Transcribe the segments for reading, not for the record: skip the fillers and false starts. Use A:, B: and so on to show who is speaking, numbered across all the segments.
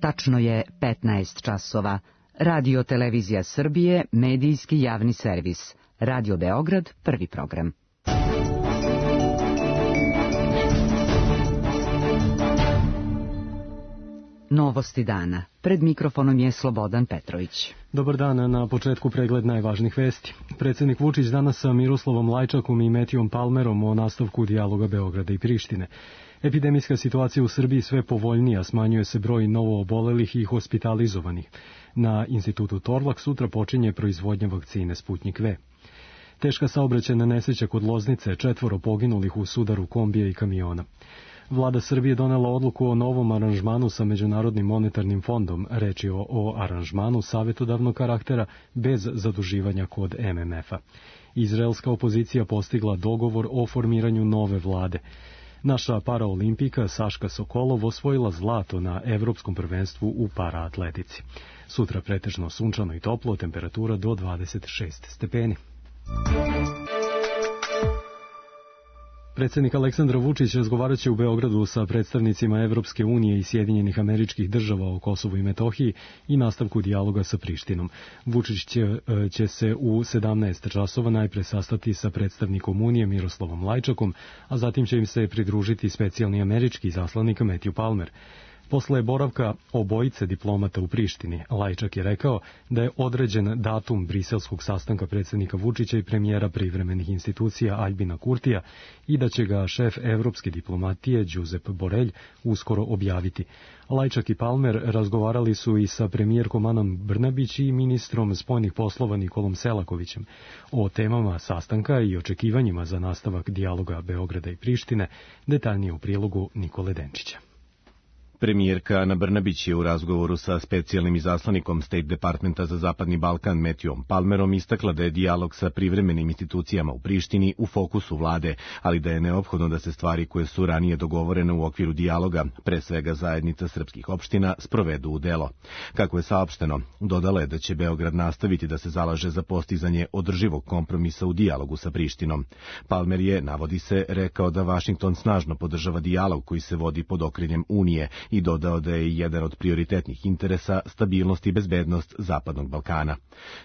A: Tačno je 15 časova. Radio Televizija Srbije, medijski javni servis. Radio Beograd, prvi program. Novosti dana. Pred mikrofonom je Slobodan Petrović.
B: Dobar dan, na početku pregled najvažnijih vesti. Predsjednik Vučić danas sa Miroslavom Lajčakom i Metijom Palmerom o nastavku dijaloga Beograda i Prištine. Epidemijska situacija u Srbiji sve povoljnija, smanjuje se broj novoobolelih i hospitalizovanih. Na institutu Torlak sutra počinje proizvodnja vakcine Sputnjik V. Teška saobraćajna nesreća kod Loznice, 4 poginulih u sudaru kombija i kamiona. Vlada Srbije donela odluku o novom aranžmanu sa Međunarodnim monetarnim fondom. Reč je o aranžmanu savjetodavnog karaktera bez zaduživanja kod MMF-a. Izraelska opozicija postigla dogovor o formiranju nove vlade. Naša paraolimpijka Saška Sokolov osvojila zlato na Evropskom prvenstvu u paraatletici. Sutra pretežno sunčano i toplo, temperatura do 26 stepeni. Predsjednik Aleksandar Vučić razgovarat će u Beogradu sa predstavnicima Evropske unije i Sjedinjenih Američkih Država o Kosovu i Metohiji i nastavku dijaloga sa Prištinom. Vučić će se u 17 časova najpre sastati sa predstavnikom Unije Miroslavom Lajčakom, a zatim će im se pridružiti specijalni američki izaslanik Matthew Palmer. Posle boravka obojice diplomata u Prištini, Lajčak je rekao da je određen datum briselskog sastanka predsjednika Vučića i premijera privremenih institucija Aljbina Kurtija i da će ga šef evropske diplomatije Josep Borrell uskoro objaviti. Lajčak i Palmer razgovarali su i sa premijerkom Anom Brnabić i ministrom spoljnih poslova Nikolom Selakovićem o temama sastanka i očekivanjima za nastavak dijaloga Beograda i Prištine, detaljnije u prilogu Nikole Denčića.
C: Premijerka Ana Brnabić je u razgovoru sa specijalnim izaslanikom State Departmenta za Zapadni Balkan Matthewom Palmerom istakla da je dijalog sa privremenim institucijama u Prištini u fokusu vlade, ali da je neophodno da se stvari koje su ranije dogovorene u okviru dijaloga, pre svega zajednica srpskih opština, sprovedu u delo. Kako je saopšteno, dodala je da će Beograd nastaviti da se zalaže za postizanje održivog kompromisa u dijalogu sa Prištinom. Palmer je, navodi se, rekao da Vašington snažno podržava dijalog koji se vodi pod okriljem Unije i dodao da je jedan od prioritetnih interesa stabilnost i bezbednost Zapadnog Balkana.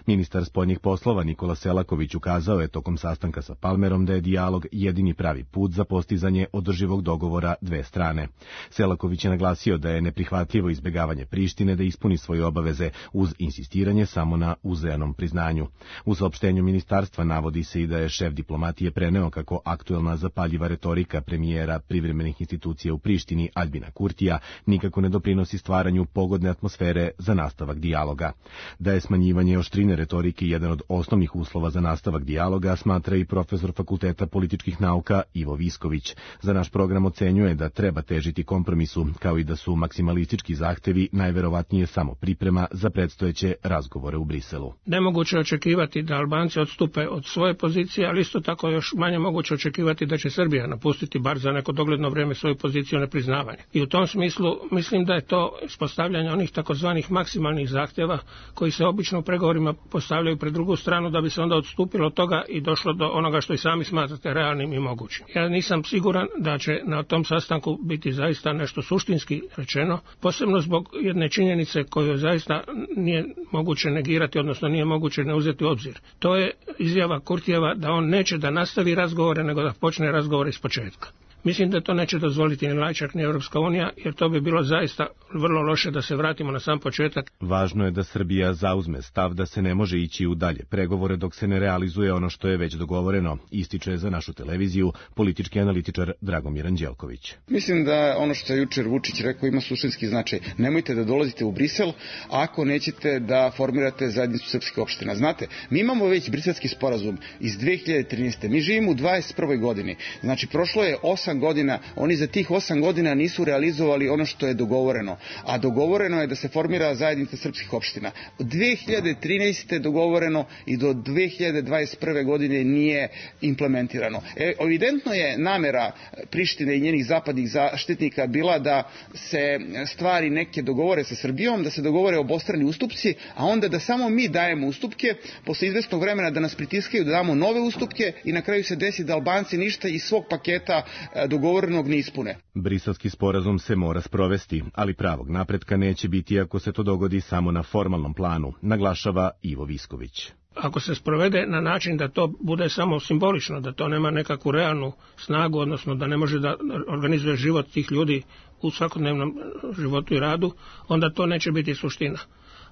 C: Ministar spoljnih poslova Nikola Selaković ukazao je tokom sastanka sa Palmerom da je dijalog jedini pravi put za postizanje održivog dogovora dve strane. Selaković je naglasio da je neprihvatljivo izbjegavanje Prištine da ispuni svoje obaveze uz insistiranje samo na uzajamnom priznanju. U saopštenju ministarstva navodi se i da je šef diplomatije preneo kako aktuelna zapaljiva retorika premijera privremenih institucija u Prištini Aljbina Kurtija nikako ne doprinosi stvaranju pogodne atmosfere za nastavak dijaloga. Da je smanjivanje oštrine retorike jedan od osnovnih uslova za nastavak dijaloga, smatra i profesor Fakulteta političkih nauka Ivo Visković. Za naš program ocenjuje da treba težiti kompromisu, kao i da su maksimalistički zahtevi najverovatnije samo priprema za predstojeće razgovore u Briselu.
D: Nemoguće očekivati da Albanci odstupe od svoje pozicije, ali isto tako još manje moguće očekivati da će Srbija napustiti bar za neko dogledno vrijeme svoju poziciju nepriznavanja. I u tom smislu mislim da je to ispostavljanje onih takozvanih maksimalnih zahtjeva koji se obično u pregovorima postavljaju pred drugu stranu da bi se onda odstupilo od toga i došlo do onoga što i sami smatrate realnim i mogućim. Ja nisam siguran da će na tom sastanku biti zaista nešto suštinski rečeno, posebno zbog jedne činjenice koju zaista nije moguće negirati, odnosno nije moguće ne uzeti u obzir. To je izjava Kurtijeva da on neće da nastavi razgovore, nego da počne razgovore iz početka. Mislim da to neće dozvoliti ni Lajčak ni Europska unija, jer to bi bilo zaista vrlo loše da se vratimo na sam početak.
C: Važno je da Srbija zauzme stav da se ne može ići u dalje pregovore dok se ne realizuje ono što je već dogovoreno, ističe za našu televiziju politički analitičar Dragomir Anđelković.
E: Mislim da ono što je jučer Vučić rekao ima suštinski značaj. Nemojte da dolazite u Brisel ako nećete da formirate zajednicu srpskih opština. Znate, mi imamo već briselski sporazum iz 2013. Mi živimo u 21. godini. Znači, prošlo je 8 godina, oni za tih 8 godina nisu realizovali ono što je dogovoreno, a dogovoreno je da se formira zajednica srpskih opština. Od 2013. dogovoreno i do 2021. godine nije implementirano. Evidentno je namera Prištine i njenih zapadnih zaštitnika bila da se stvari neke dogovore sa Srbijom, da se dogovore obostrani ustupci, a onda da samo mi dajemo ustupke, posle izvesnog vremena da nas pritiskaju da damo nove ustupke i na kraju se desi da Albanci ništa iz svog paketa dogovorenog ne ispune.
C: Briselski sporazum se mora sprovesti, ali pravog napretka neće biti ako se to dogodi samo na formalnom planu, naglašava Ivo Visković.
D: Ako se sprovede na način da to bude samo simbolično, da to nema nekakvu realnu snagu, odnosno da ne može da organizuje život tih ljudi u svakodnevnom životu i radu, onda to neće biti suština.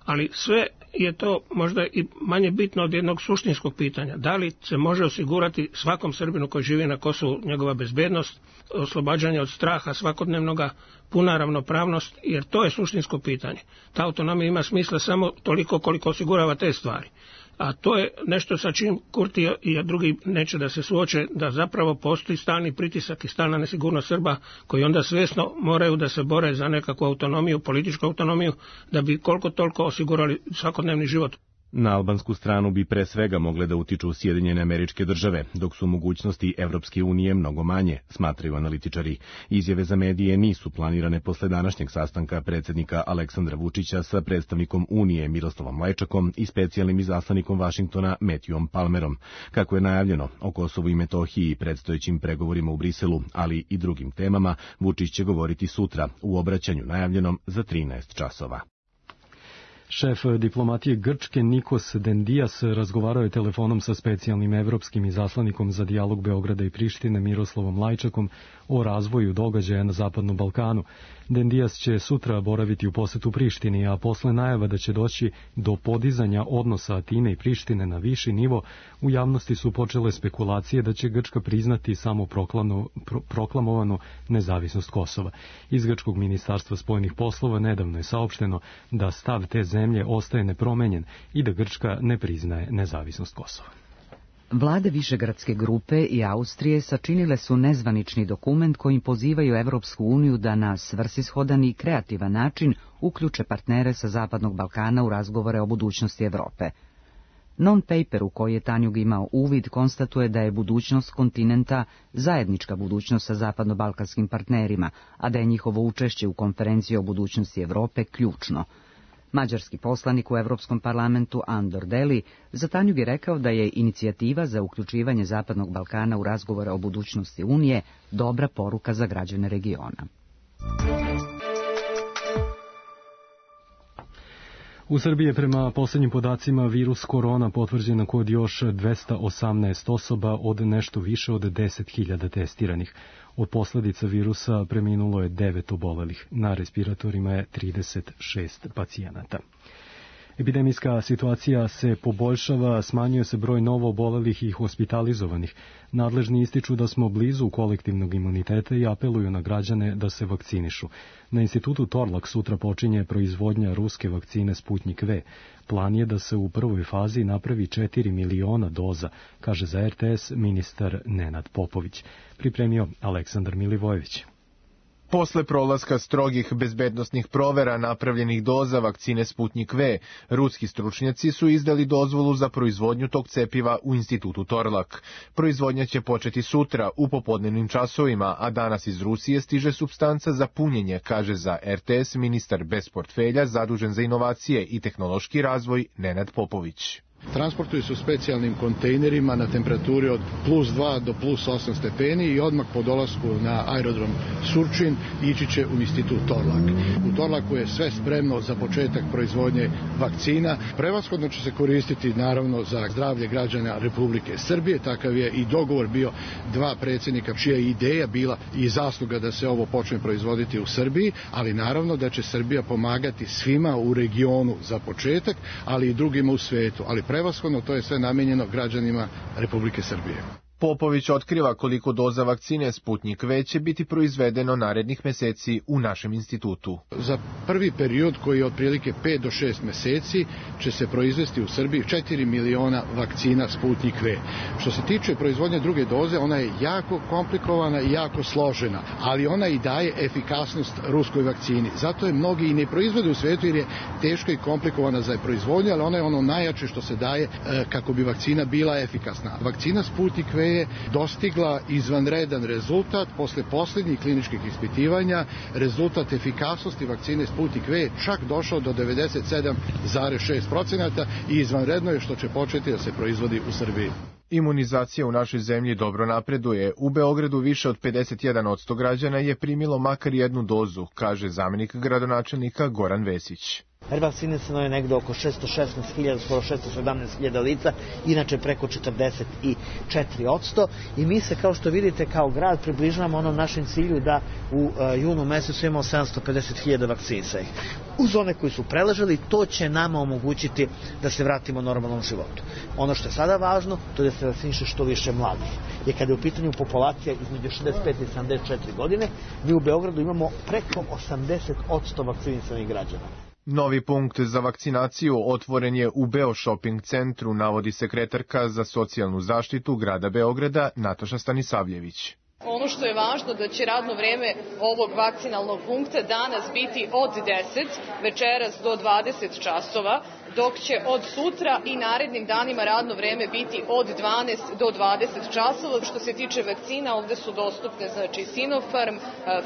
D: Ali sve je to možda i manje bitno od jednog suštinskog pitanja. Da li se može osigurati svakom Srbinu koji živi na Kosovu njegova bezbednost, oslobađanje od straha svakodnevnoga, puna ravnopravnost, jer to je suštinsko pitanje. Ta autonomija ima smisla samo toliko koliko osigurava te stvari. A to je nešto sa čim Kurti i drugi neće da se suoče, da zapravo postoji stalni pritisak i stalna nesigurnost Srba koji onda svjesno moraju da se bore za nekakvu autonomiju, političku autonomiju, da bi koliko toliko osigurali svakodnevni život.
C: Na albansku stranu bi pre svega mogle da utiču Sjedinjene Američke Države, dok su mogućnosti Evropske unije mnogo manje, smatraju analitičari. Izjave za medije nisu planirane posle današnjeg sastanka predsjednika Aleksandra Vučića sa predstavnikom Unije Miroslavom Lajčakom i specijalnim izaslanikom Vašingtona Matthewom Palmerom. Kako je najavljeno, o Kosovu i Metohiji i predstojećim pregovorima u Briselu, ali i drugim temama, Vučić će govoriti sutra u obraćanju najavljenom za 13 časova.
B: Šef diplomatije Grčke Nikos Dendias razgovarao je telefonom sa specijalnim evropskim izaslanikom za dijalog Beograda i Prištine Miroslavom Lajčakom o razvoju događaja na Zapadnom Balkanu. Dendias će sutra boraviti u posetu Prištini, a posle najava da će doći do podizanja odnosa Atine i Prištine na viši nivo, u javnosti su počele spekulacije da će Grčka priznati samo proklamovanu nezavisnost Kosova. Iz Grčkog ministarstva spoljnih poslova nedavno je saopšteno da stav te zemlje ostaje nepromenjen i da Grčka ne priznaje nezavisnost Kosova.
A: Vlade Višegradske grupe i Austrije sačinile su nezvanični dokument kojim pozivaju Evropsku uniju da na svrsishodan i kreativan način uključe partnere sa Zapadnog Balkana u razgovore o budućnosti Evrope. Non-paper u koji je Tanjug imao uvid konstatuje da je budućnost kontinenta zajednička budućnost sa zapadno-balkanskim partnerima, a da je njihovo učešće u konferenciji o budućnosti Evrope ključno. Mađarski poslanik u Evropskom parlamentu Andor Deli za Tanjug je rekao da je inicijativa za uključivanje Zapadnog Balkana u razgovore o budućnosti Unije dobra poruka za građane regiona.
B: U Srbiji je prema posljednjim podacima virus korona potvrđena kod još 218 osoba od nešto više od 10.000 testiranih. Od posljedica virusa preminulo je 9 obolelih. Na respiratorima je 36 pacijenata. Epidemijska situacija se poboljšava, smanjuje se broj novo obolelih i hospitalizovanih. Nadležni ističu da smo blizu kolektivnog imuniteta i apeluju na građane da se vakcinišu. Na institutu Torlak sutra počinje proizvodnja ruske vakcine Sputnik V. Plan je da se u prvoj fazi napravi 4 miliona doza, kaže za RTS ministar Nenad Popović. Pripremio Aleksandar Milivojević.
F: Posle prolaska strogih bezbednosnih provera napravljenih doza vakcine Sputnik V, ruski stručnjaci su izdali dozvolu za proizvodnju tog cepiva u institutu Torlak. Proizvodnja će početi sutra u popodnevnim časovima, a danas iz Rusije stiže supstanca za punjenje, kaže za RTS ministar bez portfelja zadužen za inovacije i tehnološki razvoj Nenad Popović.
G: Transportuju se u specijalnim kontejnerima na temperaturi od +2 do +8 stepeni i odmah po dolasku na aerodrom Surčin ići će u institut Torlak. U Torlaku je sve spremno za početak proizvodnje vakcina. Prevashodno će se koristiti naravno za zdravlje građana Republike Srbije. Takav je i dogovor bio dva predsjednika čija je ideja bila i zasluga da se ovo počne proizvoditi u Srbiji, ali naravno da će Srbija pomagati svima u regionu za početak, ali i drugima u svetu. Ali prevashodno to je sve namijenjeno građanima Republike Srbije.
F: Popović otkriva koliko doza vakcine Sputnik V će biti proizvedeno narednih meseci u našem institutu.
G: Za prvi period, koji je otprilike 5 do 6 meseci, će se proizvesti u Srbiji 4 miliona vakcina Sputnik V. Što se tiče proizvodnje druge doze, ona je jako komplikovana i jako složena, ali ona i daje efikasnost ruskoj vakcini. Zato je mnogi i ne proizvode u svetu jer je teška i komplikovana za proizvodnju, ali ona je ono najjače što se daje kako bi vakcina bila efikasna. Vakcina Sputnik V je dostigla izvanredan rezultat posle posljednjih kliničkih ispitivanja. Rezultat efikasnosti vakcine Sputnik V je čak došao do 97,6% i izvanredno je što će početi da se proizvodi u Srbiji.
F: Imunizacija u našoj zemlji dobro napreduje. U Beogradu više od 51% građana je primilo makar jednu dozu, kaže zamenik gradonačelnika Goran Vesić.
H: Revakcinisano je negde oko 616.000, skoro 617.000 lica, inače preko 44%. I mi se, kao što vidite, kao grad približavamo onom našem cilju da u junu mesecu imamo 750.000 vakcinisanih. Uz one koji su preležali, to će nama omogućiti da se vratimo normalnom životu. Ono što je sada važno, to je da se vakciniše što više mladih. Jer kada je u pitanju populacija između 65 i 74 godine, mi u Beogradu imamo preko 80% vakcinisanih građana.
F: Novi punkt za vakcinaciju otvoren je u Beo Shopping centru, navodi sekretarka za socijalnu zaštitu grada Beograda Nataša Stanisavljević.
I: Ono što je važno da će radno vreme ovog vakcinalnog punkta danas biti od 10, večeras do 20 časova, dok će od sutra i narednim danima radno vreme biti od 12 do 20 časova. Što se tiče vakcina, ovde su dostupne Sinopharm,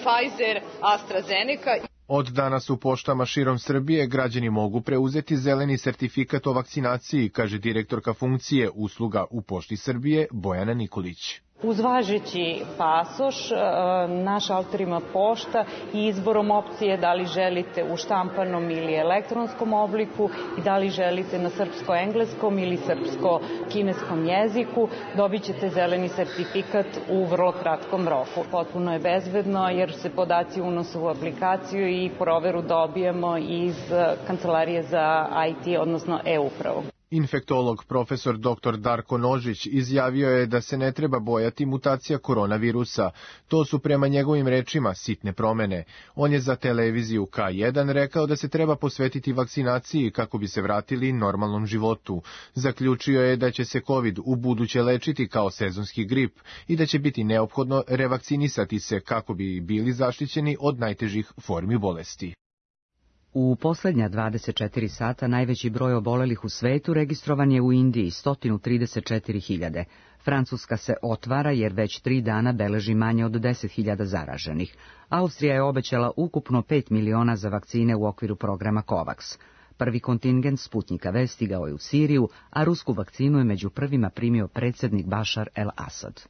I: Pfizer, AstraZeneca.
F: Od danas u poštama širom Srbije građani mogu preuzeti zeleni sertifikat o vakcinaciji, kaže direktorka funkcije usluga u Pošti Srbije Bojana Nikolić.
J: Uz važeći pasoš, naš šalter ima pošta i izborom opcije da li želite u štampanom ili elektronskom obliku i da li želite na srpsko-engleskom ili srpsko-kineskom jeziku, dobit ćete zeleni sertifikat u vrlo kratkom roku. Potpuno je bezbedno jer se podaci unose u aplikaciju i proveru dobijemo iz Kancelarije za IT, odnosno e-upravu.
F: Infektolog profesor dr. Darko Nožić izjavio je da se ne treba bojati mutacija koronavirusa. To su prema njegovim rečima sitne promene. On je za televiziju K1 rekao da se treba posvetiti vakcinaciji kako bi se vratili normalnom životu. Zaključio je da će se COVID u buduće lečiti kao sezonski grip i da će biti neophodno revakcinisati se kako bi bili zaštićeni od najtežih formi bolesti.
A: U posljednja 24 sata najveći broj obolelih u svetu registrovan je u Indiji, 134.000. Francuska se otvara jer već 3 dana beleži manje od 10.000 zaraženih. Austrija je obećala ukupno 5 miliona za vakcine u okviru programa COVAX. Prvi kontingent Sputnika V stigao je u Siriju, a rusku vakcinu je među prvima primio predsjednik Bašar el-Asad.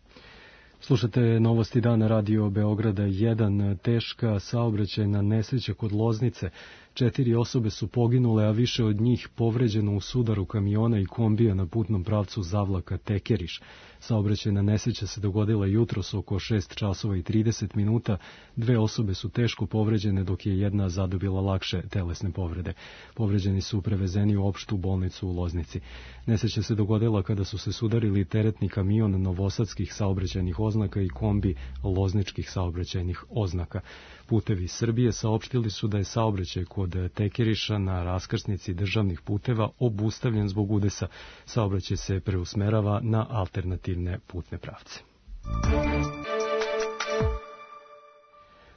B: Slušate novosti dana Radio Beograda 1. Teška saobraćajna nesreća kod Loznice. 4 osobe su poginule, a više od njih povređeno u sudaru kamiona i kombija na putnom pravcu Zavlaka Tekeriš. Saobraćajna nesreća se dogodila jutros oko 6 časova i 30 minuta. 2 osobe su teško povređene, dok je jedna zadobila lakše telesne povrede. Povređeni su prevezeni u opštu bolnicu u Loznici. Nesreća se dogodila kada su se sudarili teretni kamion novosadskih saobraćajnih oznaka i kombi lozničkih saobraćajnih oznaka. Putevi Srbije saopštili su da je saobraćaj kod Tekeriša na raskrsnici državnih puteva obustavljen zbog udesa. Saobraćaj se preusmerava na alternativne putne pravce.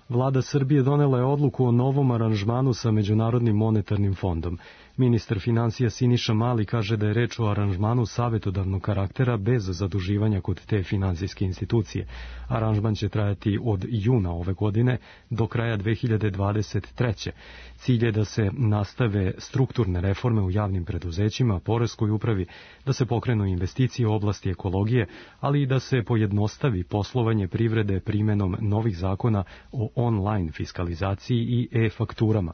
B: Vlada Srbije donela je odluku o novom aranžmanu sa Međunarodnim monetarnim fondom. Ministar finansija Siniša Mali kaže da je reč o aranžmanu savetodavnog karaktera bez zaduživanja kod te finansijske institucije. Aranžman će trajati od juna ove godine do kraja 2023. Cilj je da se nastave strukturne reforme u javnim preduzećima, poreskoj upravi, da se pokrenu investicije u oblasti ekologije, ali i da se pojednostavi poslovanje privrede primenom novih zakona o online fiskalizaciji i e-fakturama.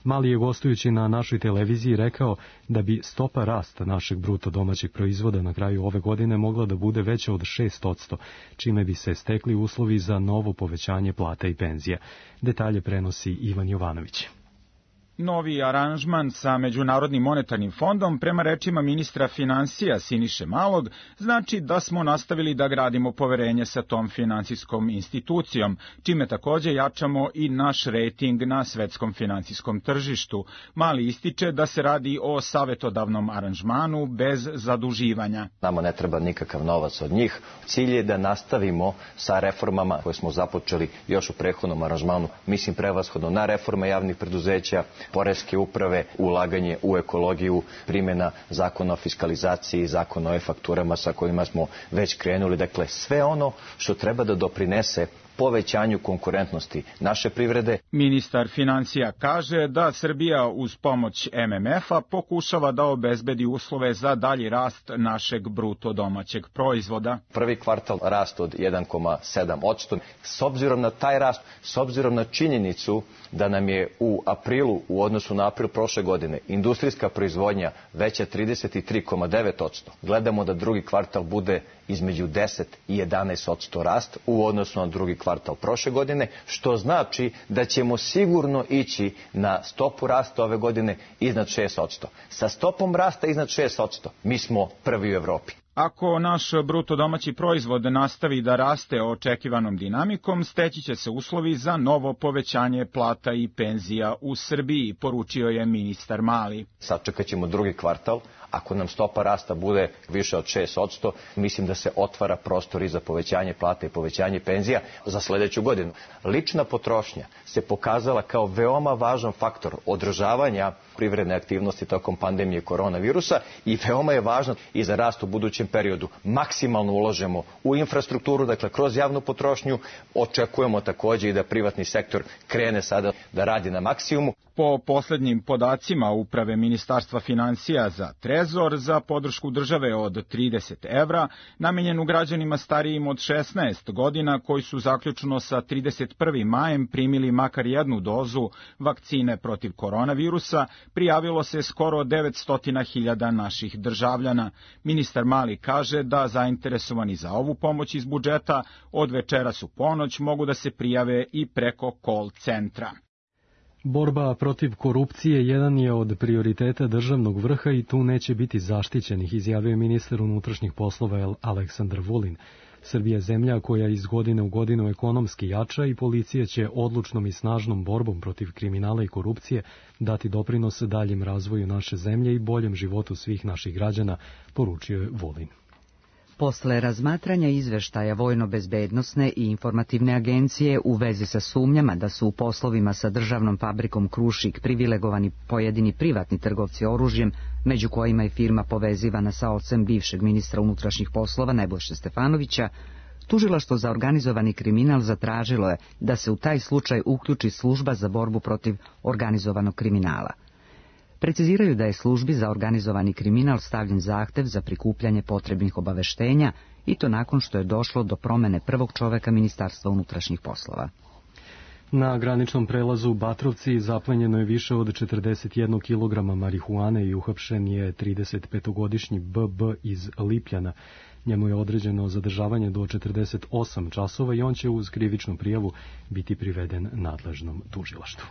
B: Mali je gostujući na našoj televiziji rekao da bi stopa rasta našeg bruto domaćeg proizvoda na kraju ove godine mogla da bude veća od 6%, čime bi se stekli uslovi za novo povećanje plata i penzija. Detalje prenosi Ivan Jovanović.
K: Novi aranžman sa Međunarodnim monetarnim fondom, prema rečima ministra finansija Siniše Malog, znači da smo nastavili da gradimo poverenje sa tom finansijskom institucijom, čime takođe jačamo i naš rejting na svetskom finansijskom tržištu. Mali ističe da se radi o savetodavnom aranžmanu bez zaduživanja.
L: Nama ne treba nikakav novac od njih. Cilj je da nastavimo sa reformama koje smo započeli još u prethodnom aranžmanu, mislim prevashodno na reforme javnih preduzeća, poreske uprave, ulaganje u ekologiju, primjena zakona o fiskalizaciji, zakona o e-fakturama sa kojima smo već krenuli. Dakle, sve ono što treba da doprinese povećanju konkurentnosti naše privrede.
K: Ministar financija kaže da Srbija uz pomoć MMF-a pokušava da obezbedi uslove za dalji rast našeg bruto domaćeg proizvoda.
L: Prvi kvartal rast od 1,7%. S obzirom na taj rast, s obzirom na činjenicu da nam je u aprilu, u odnosu na april prošle godine, industrijska proizvodnja veća 33,9%. Gledamo da drugi kvartal bude između 10 i 11% rast u odnosu na drugi kvartal prošle godine, što znači da ćemo sigurno ići na stopu rasta ove godine iznad 6%. Sa stopom rasta iznad 6% mi smo prvi u Evropi.
K: Ako naš bruto domaći proizvod nastavi da raste očekivanom dinamikom, steći će se uslovi za novo povećanje plata i penzija u Srbiji, poručio je ministar Mali.
L: Sačekat ćemo drugi kvartal. Ako nam stopa rasta bude više od 6%, mislim da se otvara prostor i za povećanje plata i povećanje penzija za sledeću godinu. Lična potrošnja se pokazala kao veoma važan faktor održavanja privredne aktivnosti tokom pandemije koronavirusa i veoma je važno i za rast u budućem periodu. Maksimalno ulažemo u infrastrukturu, dakle kroz javnu potrošnju. Očekujemo takođe i da privatni sektor krene sada da radi na maksimumu.
K: Po poslednjim podacima Uprave Ministarstva financija za Trezor, za podršku države od 30 evra, namenjenu građanima starijim od 16 godina koji su zaključno sa 31. majem primili makar jednu dozu vakcine protiv koronavirusa, prijavilo se skoro 900.000 naših državljana. Ministar Mali kaže da zainteresovani za ovu pomoć iz budžeta od večeras u ponoć mogu da se prijave i preko call centra.
B: Borba protiv korupcije jedan je od prioriteta državnog vrha i tu neće biti zaštićenih, izjavio ministar unutrašnjih poslova Aleksandar Vulin. Srbija je zemlja koja iz godine u godinu ekonomski jača i policija će odlučnom i snažnom borbom protiv kriminala i korupcije dati doprinos daljem razvoju naše zemlje i boljem životu svih naših građana, poručio je Vulin.
A: Posle razmatranja izveštaja Vojno-bezbednosne i informativne agencije u vezi sa sumnjama da su u poslovima sa državnom fabrikom Krušik privilegovani pojedini privatni trgovci oružjem, među kojima je firma povezivana sa ocem bivšeg ministra unutrašnjih poslova Nebojše Stefanovića, Tužilaštvo za organizovani kriminal zatražilo je da se u taj slučaj uključi služba za borbu protiv organizovanog kriminala. Preciziraju da je službi za organizovani kriminal stavljen zahtev za prikupljanje potrebnih obaveštenja i to nakon što je došlo do promene prvog čoveka Ministarstva unutrašnjih poslova.
B: Na graničnom prelazu Batrovci zaplenjeno je više od 41 kg marihuane i uhapšen je 35-godišnji BB iz Lipljana. Njemu je određeno zadržavanje do 48 časova i on će uz krivičnu prijavu biti priveden nadležnom tužilaštvu.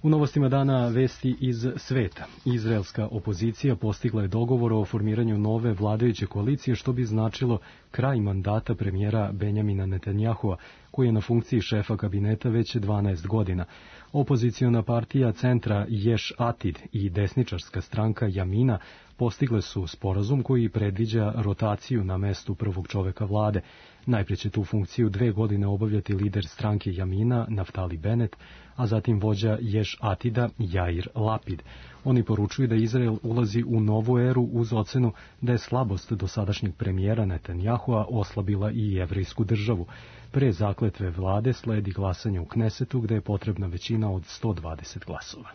B: U novostima dana vesti iz sveta. Izraelska opozicija postigla je dogovor o formiranju nove vladajuće koalicije, što bi značilo kraj mandata premijera Benjamina Netanjahua, koji je na funkciji šefa kabineta već 12 godina. Opoziciona partija centra Ješ Atid i desničarska stranka Jamina postigle su sporazum koji predviđa rotaciju na mestu prvog čoveka vlade. Najprije će tu funkciju 2 godine obavljati lider stranke Jamina, Naftali Bennett, a zatim vođa Ješ Atida, Jair Lapid. Oni poručuju da Izrael ulazi u novu eru uz ocenu da je slabost dosadašnjeg premijera Netanjahua oslabila i jevrejsku državu. Pre zakletve vlade sledi glasanje u Knesetu, gde je potrebna većina od 120 glasova.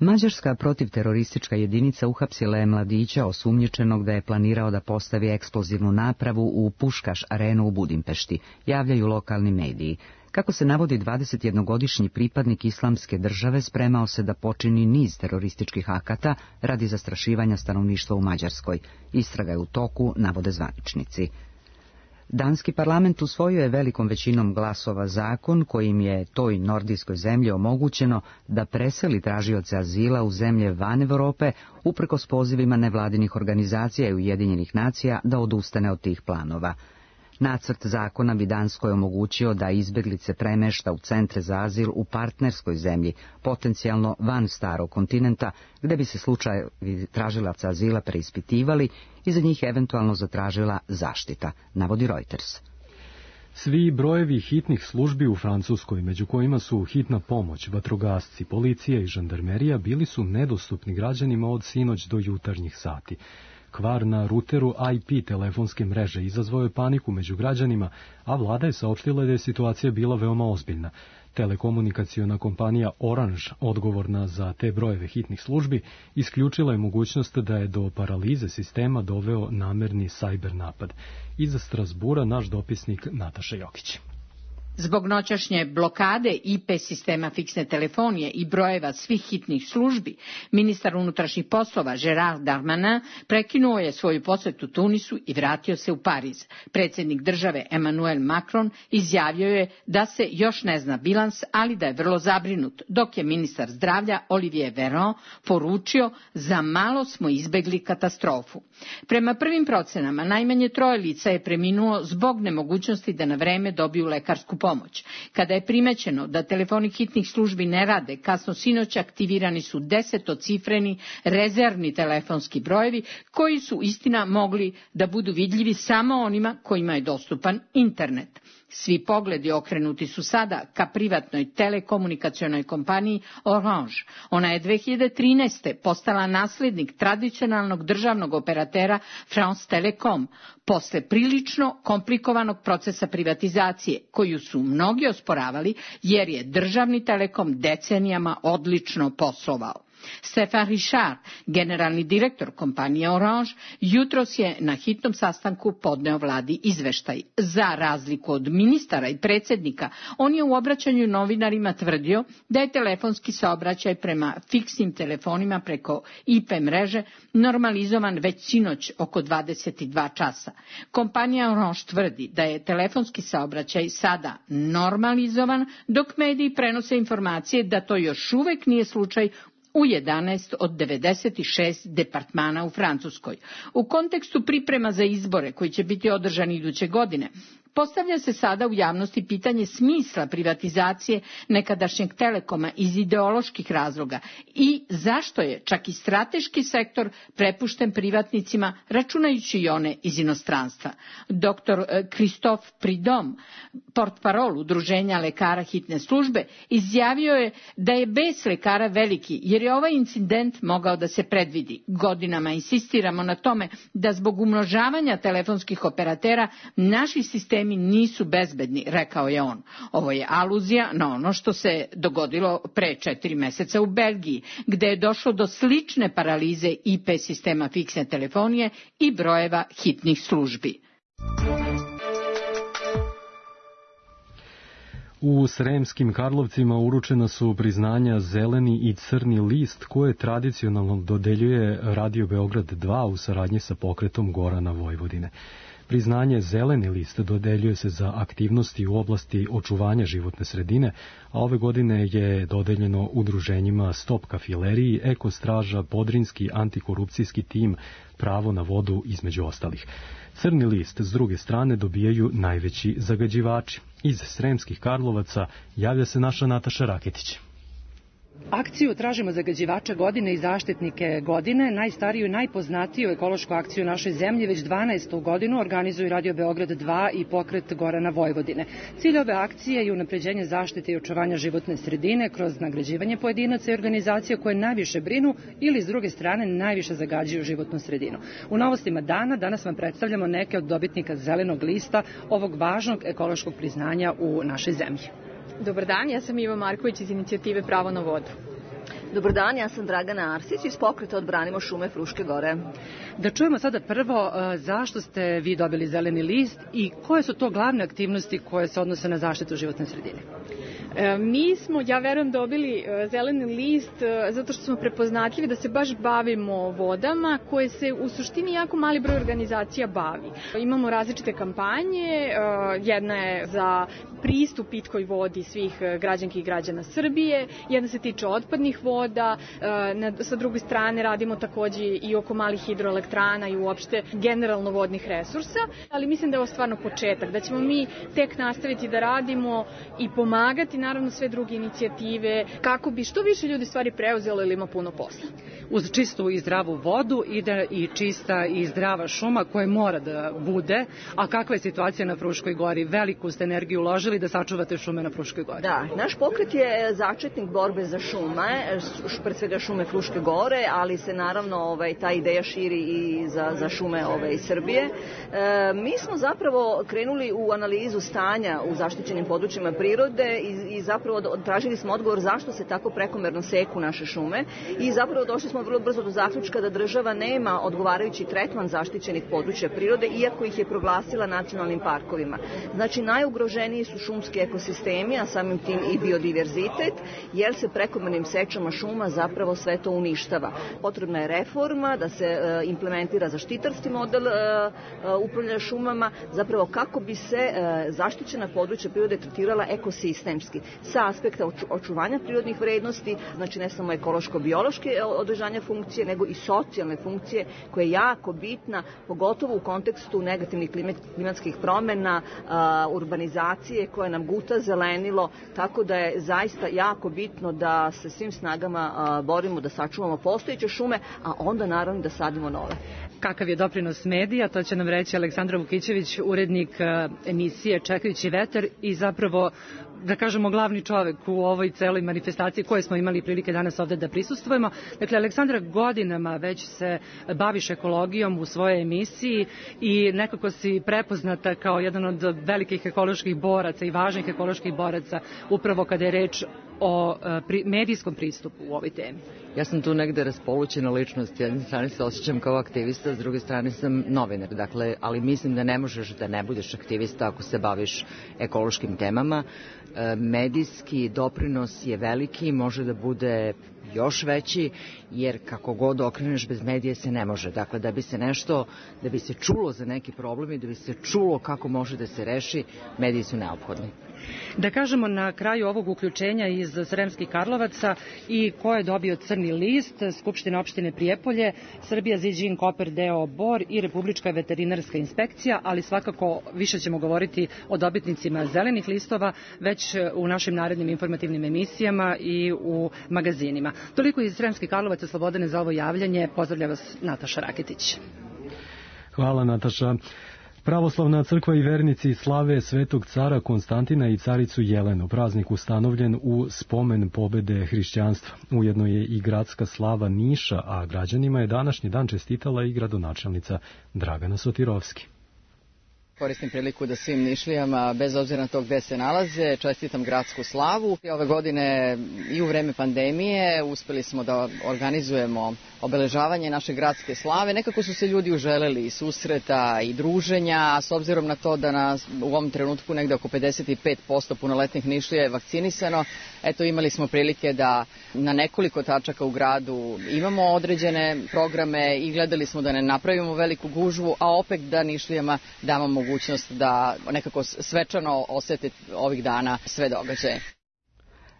A: Mađarska protivteroristička jedinica uhapsila je mladića osumnjičenog da je planirao da postavi eksplozivnu napravu u Puškaš arenu u Budimpešti, javljaju lokalni mediji. Kako se navodi, 21-godišnji pripadnik islamske države spremao se da počini niz terorističkih akata radi zastrašivanja stanovništva u Mađarskoj. Istraga je u toku, navode zvaničnici. Danski parlament usvojio je velikom većinom glasova zakon kojim je toj nordijskoj zemlji omogućeno da preseli tražioce azila u zemlje van Evrope uprkos pozivima nevladinih organizacija i Ujedinjenih nacija da odustane od tih planova. Nacrt zakona bi Danskoj omogućio da izbeglice premešta u centre za azil u partnerskoj zemlji, potencijalno van starog kontinenta, gde bi se slučajevi tražilaca azila preispitivali i za njih eventualno zatražila zaštita, navodi Reuters.
B: Svi brojevi hitnih službi u Francuskoj, među kojima su hitna pomoć, vatrogasci, policija i žandarmerija, bili su nedostupni građanima od sinoć do jutarnjih sati. Kvar na ruteru IP telefonske mreže izazvao je paniku među građanima, a vlada je saopštila da je situacija bila veoma ozbiljna. Telekomunikaciona kompanija Orange, odgovorna za te brojeve hitnih službi, isključila je mogućnost da je do paralize sistema doveo namerni sajber napad. Iz Strasbura naš dopisnik Nataša Jokić.
M: Zbog noćašnje blokade IP sistema fiksne telefonije i brojeva svih hitnih službi, ministar unutrašnjih poslova Gerard Darmanin prekinuo je svoju posetu Tunisu i vratio se u Pariz. Predsjednik države Emmanuel Macron izjavio je da se još ne zna bilans, ali da je vrlo zabrinut, dok je ministar zdravlja Olivier Véran poručio: za malo smo izbegli katastrofu. Prema prvim procenama, najmanje 3 lica je preminulo zbog nemogućnosti da na vreme dobiju lekarsku pomoć. Kada je primećeno da telefoni hitnih službi ne rade, kasno sinoć aktivirani su 10-cifreni rezervni telefonski brojevi koji su istina mogli da budu vidljivi samo onima kojima je dostupan internet. Svi pogledi okrenuti su sada ka privatnoj telekomunikacionoj kompaniji Orange. Ona je 2013. postala naslednik tradicionalnog državnog operatera France Telecom, posle prilično komplikovanog procesa privatizacije, koju su mnogi osporavali jer je državni Telekom decenijama odlično poslovao. Stefan Richard, generalni direktor kompanije Orange, jutros je na hitnom sastanku podneo vladi izveštaj. Za razliku od ministara i predsjednika, on je u obraćanju novinarima tvrdio da je telefonski saobraćaj prema fiksnim telefonima preko IP mreže normalizovan već sinoć oko 22 časa. Kompanija Orange tvrdi da je telefonski saobraćaj sada normalizovan, dok mediji prenose informacije da to još uvek nije slučaj u 11 od 96 departmana u Francuskoj. U kontekstu priprema za izbore koji će biti održani iduće godine, postavlja se sada u javnosti pitanje smisla privatizacije nekadašnjeg Telekoma iz ideoloških razloga i zašto je čak i strateški sektor prepušten privatnicima, računajući i one iz inostranstva. Dr. Christophe Prudhomme, portparol Udruženja lekara hitne službe, izjavio je da je bes lekara veliki, jer je ovaj incident mogao da se predvidi. Godinama insistiramo na tome da zbog umnožavanja telefonskih operatera naši sistemi nisu bezbedni, rekao je on. Ovo je aluzija na ono što se dogodilo pre 4 meseca u Belgiji, gde je došlo do slične paralize IP sistema fiksne telefonije i brojeva hitnih službi.
B: U Sremskim Karlovcima uručena su priznanja Zeleni i Crni list koje tradicionalno dodeljuje Radio Beograd 2 u saradnji sa pokretom Gorana Vojvodine. Priznanje Zeleni list dodeljuje se za aktivnosti u oblasti očuvanja životne sredine, a ove godine je dodeljeno udruženjima Stop kafileriji, Ekostraža, Podrinski antikorupcijski tim, Pravo na vodu, između ostalih. Crni list s druge strane dobijaju najveći zagađivači. Iz Sremskih Karlovaca javlja se naša Nataša Raketić.
N: Akciju Tražimo zagađivača godine i zaštitnike godine, najstariju i najpoznatiju ekološku akciju našoj zemlji, već 12. godinu organizuju Radio Beograd 2 i pokret Gorana Vojvodine. Cilj ove akcije je unapređenje zaštite i očuvanja životne sredine kroz nagrađivanje pojedinaca i organizacija koje najviše brinu ili s druge strane najviše zagađuju životnu sredinu. U novostima dana danas vam predstavljamo neke od dobitnika Zelenog lista, ovog važnog ekološkog priznanja u našoj zemlji.
O: Dobar dan, ja sam Iva Marković iz inicijative Pravo na vodu.
P: Dobar dan, ja sam Dragana Arsić iz pokreta Odbranimo šume Fruške gore.
N: Da čujemo sada prvo zašto ste vi dobili Zeleni list i koje su to glavne aktivnosti koje se odnose na zaštitu životne sredine?
O: Mi smo, ja verujem, dobili Zeleni list zato što smo prepoznatljivi da se baš bavimo vodama koje se u suštini jako mali broj organizacija bavi. Imamo različite kampanje, jedna je za pristup pitkoj vodi svih građanki i građana Srbije, jedna se tiče otpadnih voda, sa druge strane radimo takođe i oko malih hidroelektrana i uopšte generalno vodnih resursa, ali mislim da je ovo stvarno početak, da ćemo mi tek nastaviti da radimo i pomagati naravno sve druge inicijative kako bi što više ljudi stvari preuzelo ili ima puno posla.
N: Uz čistu i zdravu vodu ide i čista i zdrava šuma koja mora da bude, a kakva je situacija na Fruškoj gori? Veliku ste energiju uložili prepoznali da sačuvate šume na Fruškoj gori?
P: Da, naš pokret je začetnik borbe za šume, pred svega šume Fruške gore, ali se naravno ta ideja širi i za šume Srbije. Mi smo zapravo krenuli u analizu stanja u zaštićenim područjima prirode i zapravo tražili smo odgovor zašto se tako prekomerno seku naše šume i zapravo došli smo vrlo brzo do zaključka da država nema odgovarajući tretman zaštićenih područja prirode, iako ih je proglasila nacionalnim parkovima. Znači, najugroženiji su šumski ekosistemi, a samim tim i biodiverzitet, jer se prekomernim sečama šuma zapravo sve to uništava. Potrebna je reforma, da se implementira zaštitarski model upravljanja šumama, zapravo kako bi se zaštićena područja prirode tretirala ekosistemski, sa aspekta očuvanja prirodnih vrednosti, znači ne samo ekološko-biološke održanja funkcije, nego i socijalne funkcije, koja je jako bitna, pogotovo u kontekstu negativnih klimatskih promjena, urbanizacije koja nam guta zelenilo, tako da je zaista jako bitno da se svim snagama borimo da sačuvamo postojeće šume, a onda naravno da sadimo nove.
N: Kakav je doprinos medija, to će nam reći Aleksandra Vukićević, urednik emisije Čekajući vetar i zapravo, da kažemo, glavni čovek u ovoj celoj manifestaciji koje smo imali prilike danas ovde da prisustvujemo. Dakle, Aleksandra godinama već se baviš ekologijom u svojoj emisiji i nekako si prepoznata kao jedan od velikih ekoloških boraca i važnih ekoloških boraca upravo kada je reč o medijskom pristupu u ovoj temi.
A: Ja sam tu negde raspolućena ličnost, s jedne strane se osjećam kao aktivista, s druge strane sam novinar, dakle, ali mislim da ne možeš da ne budeš aktivista ako se baviš ekološkim temama. Medijski doprinos je veliki, može da bude još veći, jer kako god okreneš bez medije se ne može. Dakle, da bi se čulo za neki problem i da bi se čulo kako može da se reši, mediji su neophodni.
N: Da kažemo na kraju ovog uključenja iz Sremskih Karlovaca i ko je dobio crni list, Skupština opštine Prijepolje, Srbija Ziđin Koper deo Bor i Republička veterinarska inspekcija, ali svakako više ćemo govoriti o dobitnicima zelenih listova već u našim narednim informativnim emisijama i u magazinima. Toliko iz Sremskih Karlovaca, Slobodane, za ovo javljanje. Pozdravlja vas Nataša Raketić.
B: Hvala, Nataša. Pravoslavna crkva i vernici slave Svetog cara Konstantina i caricu Jelenu. Praznik ustanovljen u spomen pobede hrišćanstva. Ujedno je i gradska slava Niša, a građanima je današnji dan čestitala i gradonačelnica Dragana Sotirovski.
Q: Koristim priliku da svim Nišlijama, bez obzira na to gde se nalaze, čestitam gradsku slavu. Ove godine i u vreme pandemije uspeli smo da organizujemo obeležavanje naše gradske slave. Nekako su se ljudi uželeli i susreta i druženja, a s obzirom na to da nas u ovom trenutku negde oko 55% punoletnih Nišlija je vakcinisano, eto imali smo prilike da na nekoliko tačaka u gradu imamo određene programe i gledali smo da ne napravimo veliku gužvu, a opet da Nišlijama damo mogućnost da nekako svečano osete ovih dana sve događaje.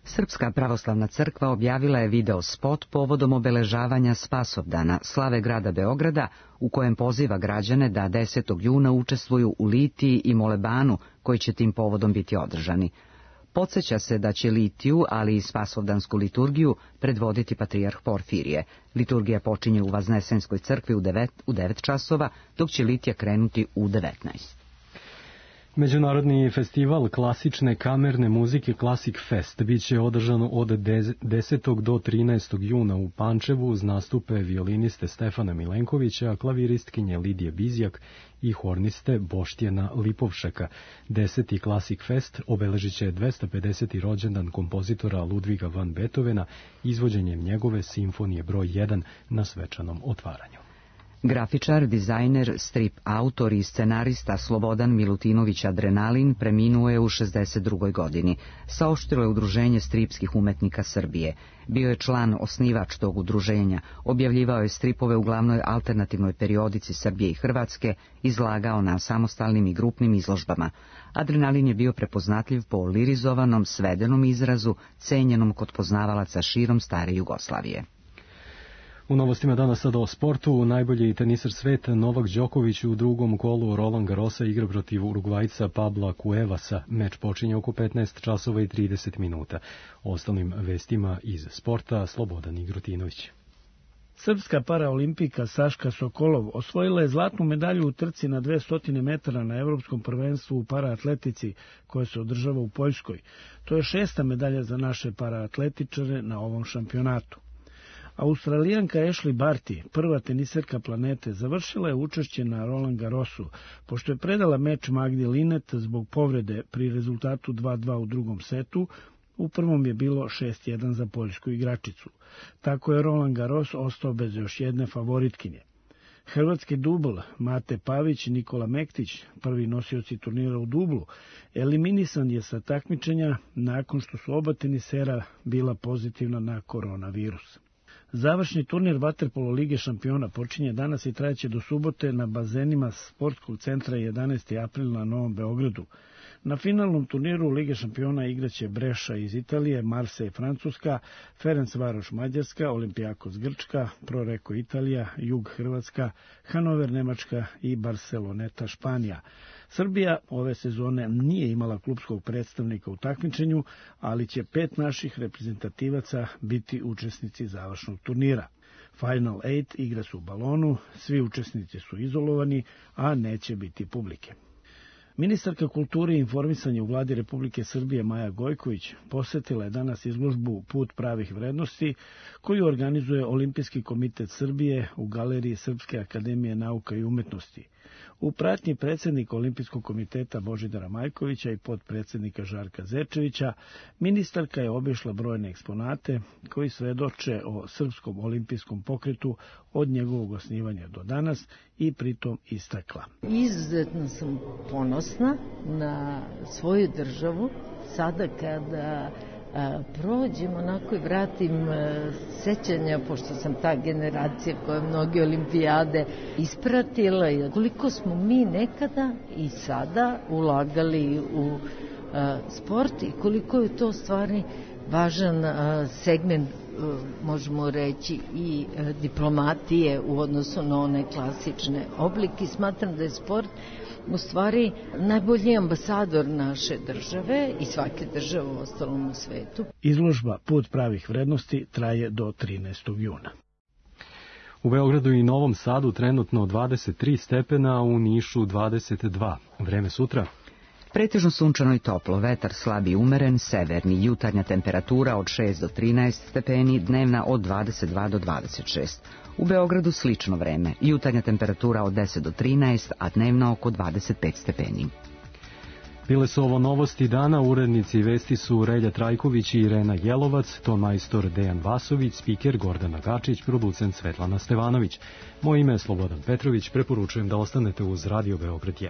A: Srpska pravoslavna crkva objavila je video spot povodom obeležavanja Spasovdana, slave grada Beograda, u kojem poziva građane da 10. juna učestvuju u litiji i molebanu koji će tim povodom biti održani. Podsjeća se da će litiju, ali i spasovdansku liturgiju, predvoditi patrijarh Porfirije. Liturgija počinje u Vaznesenskoj crkvi u 9 časova, dok će litija krenuti u 19.
B: Međunarodni festival klasične kamerne muzike Classic Fest biće održano od 10. do 13. juna u Pančevu uz nastupe violiniste Stefana Milenkovića, klaviristkinje Lidije Bizjak i horniste Boštjena Lipovšeka. 10. Classic Fest obeležit će 250. rođendan kompozitora Ludviga van Beethovena izvođenjem njegove simfonije broj 1 na svečanom otvaranju.
A: Grafičar, dizajner, strip autor i scenarista Slobodan Milutinović Adrenalin preminuo je u 62. godini. Saopštilo je Udruženje stripskih umetnika Srbije. Bio je član osnivač tog udruženja, objavljivao je stripove u glavnoj alternativnoj periodici Srbije i Hrvatske, izlagao na samostalnim i grupnim izložbama. Adrenalin je bio prepoznatljiv po lirizovanom, svedenom izrazu, cenjenom kod poznavalaca širom stare Jugoslavije.
B: U novostima danas sada o sportu. Najbolji teniser sveta Novak Đoković u drugom kolu Roland Garrosa igra protiv Urugvajca Pabla Cuevasa. Meč počinje oko 15 časova i 30 minuta. O ostalim vestima iz sporta Slobodan Igrotinović.
R: Srpska paraolimpijka Saška Sokolov osvojila je zlatnu medalju u trci na 200 metara na Evropskom prvenstvu u paraatletici koje se održava u Poljskoj. To je 6. medalja za naše paraatletičare na ovom šampionatu. Australijanka Ashley Barty, prva teniserka planete, završila je učešće na Roland Garrosu, pošto je predala meč Magdi Linet zbog povrede pri rezultatu 2:2 u drugom setu. U prvom je bilo 6:1 za poljsku igračicu. Tako je Roland Garros ostao bez još jedne favoritkinje. Hrvatski dubl Mate Pavić i Nikola Mektić, prvi nosioci turnira u dublu, eliminisan je sa takmičenja nakon što su oba tenisera bila pozitivna na koronavirus. Završni turnir vaterpolo Lige šampiona počinje danas i trajeće do subote na bazenima sportskog centra 11. april na Novom Beogradu. Na finalnom turniru Lige šampiona igraće Breša iz Italije, Marseille Francuska, Ferencvaroš Mađarska, Olimpijakos Grčka, Proreko Italija, Jug Hrvatska, Hanover Nemačka i Barceloneta Španija. Srbija ove sezone nije imala klupskog predstavnika u takmičenju, ali će 5 naših reprezentativaca biti učesnici završnog turnira. Final 8 igra se u balonu, svi učesnici su izolovani, a neće biti publike. Ministarka kulture i informisanja u vladi Republike Srbije Maja Gojković posetila je danas izložbu Put pravih vrednosti koju organizuje Olimpijski komitet Srbije u galeriji Srpske akademije nauka i umetnosti. U pratnji predsjednika Olimpijskog komiteta Božidara Majkovića i potpredsjednika Žarka Zečevića, ministarka je obišla brojne eksponate koji svedoče o srpskom olimpijskom pokretu od njegovog osnivanja do danas i pritom istakla.
S: Izuzetno sam ponosna na svoju državu sada kada prođem onako i vratim sećanja, pošto sam ta generacija koja mnoge olimpijade ispratila, i koliko smo mi nekada i sada ulagali u sport i koliko je to stvarni važan segment, možemo reći, i diplomatije u odnosu na one klasične oblike. Smatram da je sport u stvari najbolji ambasador naše države i svake države u ostalom u svetu.
R: Izložba Put pravih vrednosti traje do 13. juna.
B: U Beogradu i Novom Sadu trenutno 23 stepena, a u Nišu 22. Vreme sutra?
A: Pretežno sunčano i toplo, vetar slab i umeren, severni, jutarnja temperatura od 6 do 13 stepeni, dnevna od 22 do 26. U Beogradu slično vreme, jutarnja temperatura od 10 do 13, a dnevna oko 25 stepeni.
B: Bile su ovo novosti dana, urednici vesti su Relja Trajković i Irena Jelovac, ton majstor Dejan Vasović, spiker Gordana Gačić, producent Svetlana Stevanović. Moje ime je Slobodan Petrović, preporučujem da ostanete uz Radio Beograd 1.